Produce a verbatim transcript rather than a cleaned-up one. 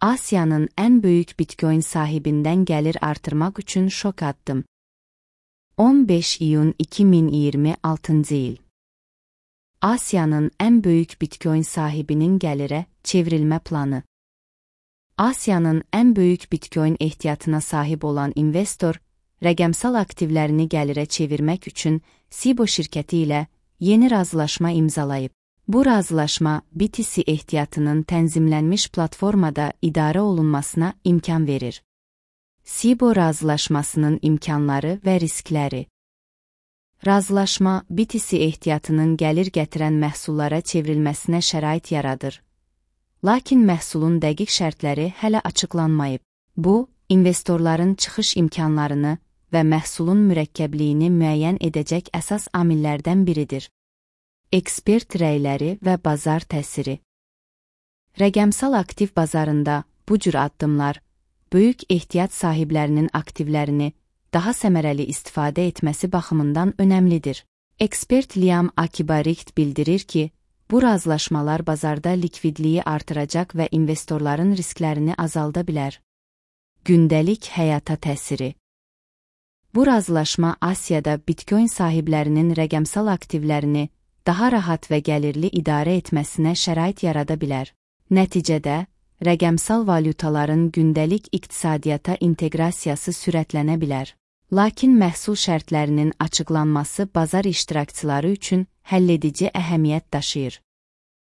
Asiyanın ən böyük Bitcoin sahibindən gəlir artırmaq üçün şok addım. on beş iyun iki min iyirmi altıncı il. Asiyanın ən böyük Bitcoin sahibinin gəlirə çevrilmə planı. Asiyanın ən böyük Bitcoin ehtiyatına sahib olan investor, rəqəmsal aktivlərini gəlirə çevirmək üçün Cboe şirkəti ilə yeni razılaşma imzalayıb. Bu razılaşma B T C ehtiyatının tənzimlənmiş platformada idarə olunmasına imkan verir. Cboe razılaşmasının imkanları və riskləri. Razılaşma B T C ehtiyatının gəlir gətirən məhsullara çevrilməsinə şərait yaradır. Lakin məhsulun dəqiq şərtləri hələ açıqlanmayıb. Bu, investorların çıxış imkanlarını və məhsulun mürəkkəbliyini müəyyən edəcək əsas amillərdən biridir. Ekspert rəyləri və bazar təsiri. Rəqəmsal aktiv bazarında bu cür addımlar, böyük ehtiyat sahiblərinin aktivlərini daha səmərəli istifadə etməsi baxımından önəmlidir. Ekspert Liam Akibarikt bildirir ki, bu razılaşmalar bazarda likvidliyi artıracaq və investorların risklərini azalda bilər. Gündəlik həyata təsiri. Bu razılaşma Asiyada Bitcoin sahiblərinin rəqəmsal aktivlərini daha rahat və gəlirli idarə etməsinə şərait yarada bilər. Nəticədə, rəqəmsal valyutaların gündəlik iqtisadiyyata inteqrasiyası sürətlənə bilər. Lakin məhsul şərtlərinin açıqlanması bazar iştirakçıları üçün həlledici əhəmiyyət daşıyır.